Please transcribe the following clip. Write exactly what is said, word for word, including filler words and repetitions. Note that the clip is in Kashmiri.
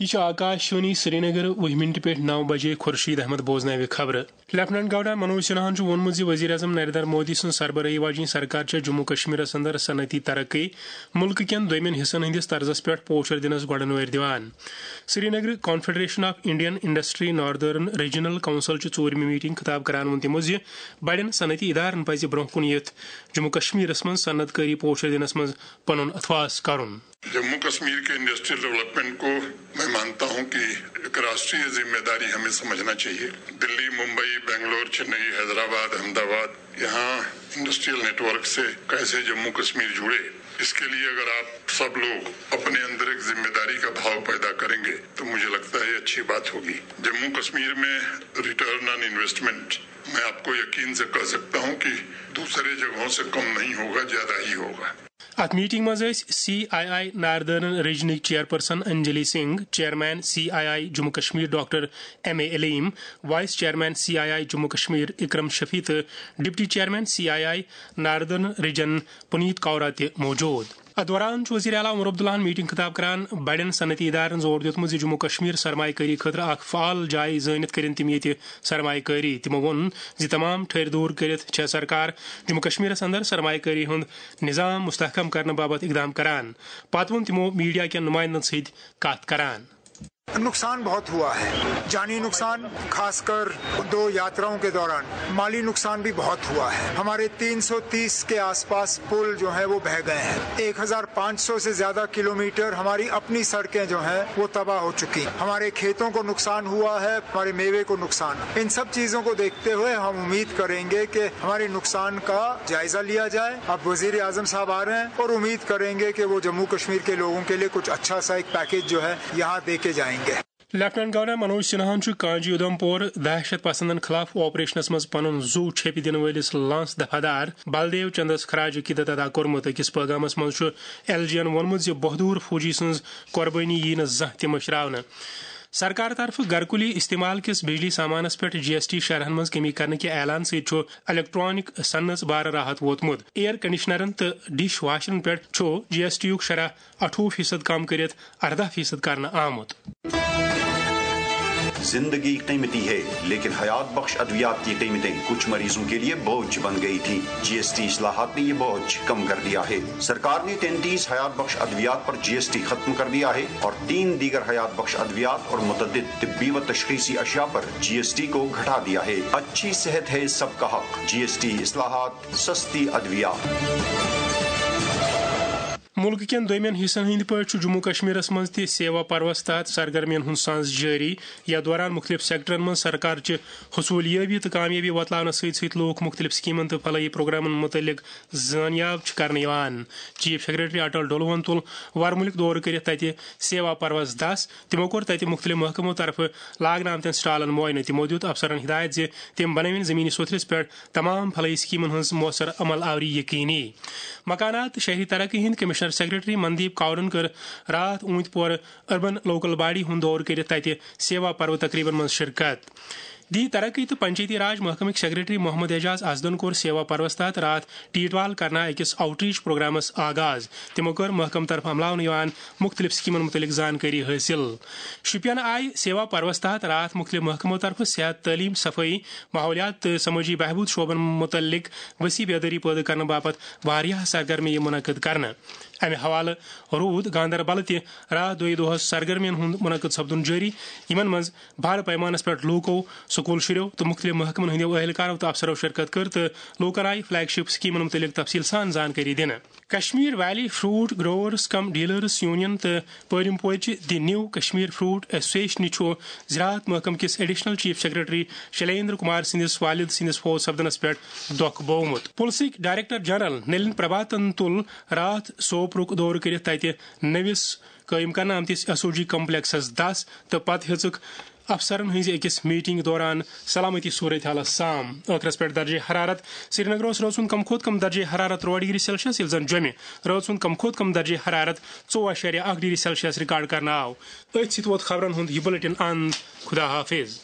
یہِ چھُ آکاش وانی سرینگر، وُہہِ منٹہِ پٮ۪ٹھ نَو بجے خورشید احمد بوزناوِ خبرٕ۔ لیفٹیننٹ گورنر منوج سنہاہن چھُ ووٚنمُت زِ وزیر اعظم نریندر مودی سٕنٛز سربرٲہی واجیٚنۍ سرکار چھےٚ جموں کشمیرس اندر صنعتی ترقی، مُلکہٕ کٮ۪ن دوٚیمٮ۪ن حصن ہٕنٛدِس طرزس پٮ۪ٹھ پوچھر دِنس گۄڈن وٲرۍ دِوان۔ Srinagar, confederation of Indian industry northern regional council چہِ ژوٗرمہِ میٹنگ خطاب کران ووٚن تِمو زِ بڑٮ۪ن صنعتی ادارن پزِ برونٛہہ کُن یِتھ جموں کشمیرس منٛز صنعت کٲری پوچھر دِنس منٛز پنُن اتھواس کرُن۔ جموں کشمیر کے انڈسٹریل ڈیولپمنٹ کو میں مانتا ہوں کہ ایک راشٹریہ ذمہ داری ہمیں سمجھنا چاہیے۔ دلی، ممبئی، بنگلور، چنئی، حیدرآباد، احمد آباد، یہاں انڈسٹریل نیٹ ورک سے کیسے جموں کشمیر جڑے، اس کے لیے اگر آپ سب لوگ اپنے اندر ایک ذمہ داری کا بھاؤ پیدا کریں گے تو مجھے لگتا ہے یہ اچھی بات ہوگی۔ جموں کشمیر میں ریٹرن آن انویسٹمنٹ، میں آپ کو یقین سے کہہ سکتا ہوں کہ دوسرے جگہوں سے کم نہیں ہوگا، زیادہ ہی ہوگا۔ اتھ میٹنگ منٛز ٲسۍ سی آئی آئی ناردرن ریجنٕکۍ chairperson Anjali Singh, chairman C I I Jammu Kashmir doctor M A Aleem, vice chairman C I I Jammu Kashmir Akram Shafi تہٕ deputy chairman C I I northern region Puneet Kaura تہِ موجود۔ اتھ دوران چھُ وزیر اعلیٰ عمر عبداللہن میٹنگ خطاب کران بڑٮ۪ن صنعتی ادارن زور دیُتمُت زِ جموں کشمیر سرمایہ کٲری خٲطرٕ اکھ فعال جاے زٲنِتھ کٔرِن تِم ییٚتہِ سرمایہ کٲری۔ تِمو ووٚن زِ تمام ٹھٔرۍ دوٗر کٔرِتھ چھےٚ سرکار جموں کشمیرس اندر سرمایہ کٲری ہُنٛد نظام مستحکم کرنہٕ باپتھ اقدام کران۔ پتہٕ ووٚن تِمو میڈیا کٮ۪ن نُمایندن سۭتۍ کتھ کران۔ نقصان بہت ہوا ہے، جانی نقصان، خاص کر دو یاتراؤں کے دوران مالی نقصان بھی بہت ہوا ہے۔ ہمارے تین سو تیس کے آس پاس پل جو ہیں وہ بہہ گئے ہیں، ایک ہزار پانچ سو سے زیادہ کلومیٹر ہماری اپنی سڑکیں جو ہیں وہ تباہ ہو چکی ہیں۔ ہمارے کھیتوں کو نقصان ہوا ہے، ہمارے میوے کو نقصان۔ ان سب چیزوں کو دیکھتے ہوئے ہم امید کریں گے کہ ہمارے نقصان کا جائزہ لیا جائے۔ اب وزیر اعظم صاحب آ رہے ہیں اور امید کریں گے کہ وہ جموں کشمیر کے لوگوں کے لیے کچھ اچھا سا ایک پیکج جو ہے یہاں دے کے جائیں گے۔ لیفٹیننٹ گورنر منوج سنہاہن چھُ کانجی ادھم پور دہشت پسندن خلاف آپریشنس منٛز پنُن زُو چھیپہِ دِنہٕ وٲلِس لانس دفعہ دار بلدیو چندس خراج عقیدت ادا کوٚرمُت۔ أکِس پٲغامس منٛز چھُ ایل جی ین ووٚنمُت زِ بہادُر فوجی سٕنٛز قۄربٲنی ییہِ نہٕ زانٛہہ تہِ مٔشراونہٕ۔ سرکار طرفہٕ گرکُلی استعمال کِس بجلی سامانس پٮ۪ٹھ جی ایس ٹی شرحن منٛز کمی کرنہٕ کہِ اعلان سۭتۍ چھُ الیکٹرانک صنعتس بارٕ راحت ووتمُت۔ ایئر کنڈیشنرن تہٕ ڈش واشرن پٮ۪ٹھ چھُ جی ایس ٹی یُک شرح اَٹھووُہ فیصد کم کٔرِتھ اَرداہ فیصد کرنہٕ آمُت۔ زندگی قیمتی ہے، لیکن حیات بخش ادویات کی قیمتیں کچھ مریضوں کے لیے بوجھ بن گئی تھی۔ جی ایس ٹی اصلاحات نے یہ بوجھ کم کر دیا ہے۔ سرکار نے تینتیس حیات بخش ادویات پر جی ایس ٹی ختم کر دیا ہے اور تین دیگر حیات بخش ادویات اور متعدد طبی و تشخیصی اشیاء پر جی ایس ٹی کو گھٹا دیا ہے۔ اچھی صحت ہے سب کا حق۔ جی ایس ٹی اصلاحات، سستی ادویات۔ مُلکہٕ کٮ۪ن دوٚیمٮ۪ن حصن ہٕنٛدۍ پٲٹھۍ چھُ جموں کشمیرس منٛز تہِ سیوا پروس تحت سرگرمین ہُنٛد سانز جٲری۔ یتھ دوران مُختٔلِف سیکٹرن منٛز سرکار چہِ حصوٗلیٲبی تہٕ کامیٲبی وۄتلاونس سۭتۍ سۭتۍ لوٗکھ مُختٔلِف سکیمن تہٕ فلاحی پروگرامن مُتعلق زٲنیاب چھِ کرنہٕ یِوان۔ چیف سیکرٹری اٹل ڈولوہن تُل ورمُلُک دورٕ کٔرِتھ تتہِ سیوا پروس دس۔ تِمو کوٚر تتہِ مُختٔلِف محکمو طرفہٕ لاگنہٕ آمتٮ۪ن سٹالن معاینہٕ۔ تِمو دیُت افسرن ہدایت زِ تِم بنٲوِن زمینی سوٚتھرِس پٮ۪ٹھ تمام فلاحی سکیمن ہٕنٛز مؤثر عمل آوری یقینی۔ مکانات تہٕ شہری ترقی ہٕنٛدۍ کمشنر سیکرٹری مندیپ کاورن کٔر راتھ اوٗنتۍ پورٕ اربن لوکل باڈی ہُنٛد دورٕ کٔرِتھ تتہِ سیوا پرو تقریبن منٛز شرکت۔ دی ترقی تہٕ پنچایتی راج محکمٕکۍ سیکرٹری محمد اعجاز اسدن کوٚر سیوا پروس تحت راتھ ٹیٹوال کرنا أکِس آؤٹ ریچ پروگرامس آغاز۔ تِمو کٔر محکمہٕ طرفہٕ عملاونہٕ یِوان مُختٔلِف سکیمن مُتعلق زانکٲری حٲصِل۔ شُپین آیہِ سیوا پروس تحت راتھ مُختٔلِف محکمو طرفہٕ صحت، تعلیٖم، صفٲیی، ماحولیات تہٕ سمٲجی بہبود شعبن مُتعلق وسیع بیدٲری پٲدٕ کرنہٕ باپتھ واریاہ سرگرمیہِ منعقد کرنہٕ۔ امہِ حوالہٕ روٗد گاندربل تہِ راتھ دۄیہِ دۄہس سرگرمین ہُنٛد منعقد سپدُن جٲری، یِمن منٛز بڑٕ پیمانس پٮ۪ٹھ لوٗکو، سکوٗل شُرٮ۪و تہٕ مُختٔلِف محکمن ہٕنٛدٮ۪و اہلکارو تہٕ افسرو شرکت کٔر تہٕ لوٗکن آیہِ فلیگ شپ سکیمن مُتعلق تفصیٖل سان زانکٲری دِنہٕ۔ کشمیر ویلی فروٹ گروورز کم ڈیلرز یونین تہٕ پٲرِم پورچہِ دی نیو کشمیر فروٹ ایسوسیشنہِ چھُ زراعت محکمہٕ کِس ایڈیشنل چیف سیکرٹری شلیندر کمار سٕنٛدِس والد سٕنٛدِس فوت سپدنس پٮ۪ٹھ دۄکھ بوومُت۔ پُلسٕکۍ ڈائریکٹر جنرل نلین پربھاتن تُل راتھ سوپرُک دورٕ کٔرِتھ تتہِ نٔوِس قٲیِم کرنہٕ آمتِس ایس او جی کمپلیکسس دس تہٕ پتہٕ ہیٚژٕکھ افسرن ہٕنٛزِ أکِس میٹنگ دوران سلامتی صورتحالس سام۔ ٲخرس پٮ۪ٹھ درجہ حرارت۔ سرینگرس رٲژ ہُنٛد کم کھۄتہٕ کم درجہ حرارت ترٛوہ ڈگری سیلسیس، ییٚلہِ زن جوٚمہِ رٲژ ہُنٛد کم کھۄتہٕ کم درجہ حرارت ژوٚوُہ اعشاریہ اکھ ڈگری سیلسیس ریکارڈ کرنہٕ آو۔ أتھۍ سۭتۍ ووت خبرن ہُنٛد یہِ بلیٹن اند۔ خدا حافظ۔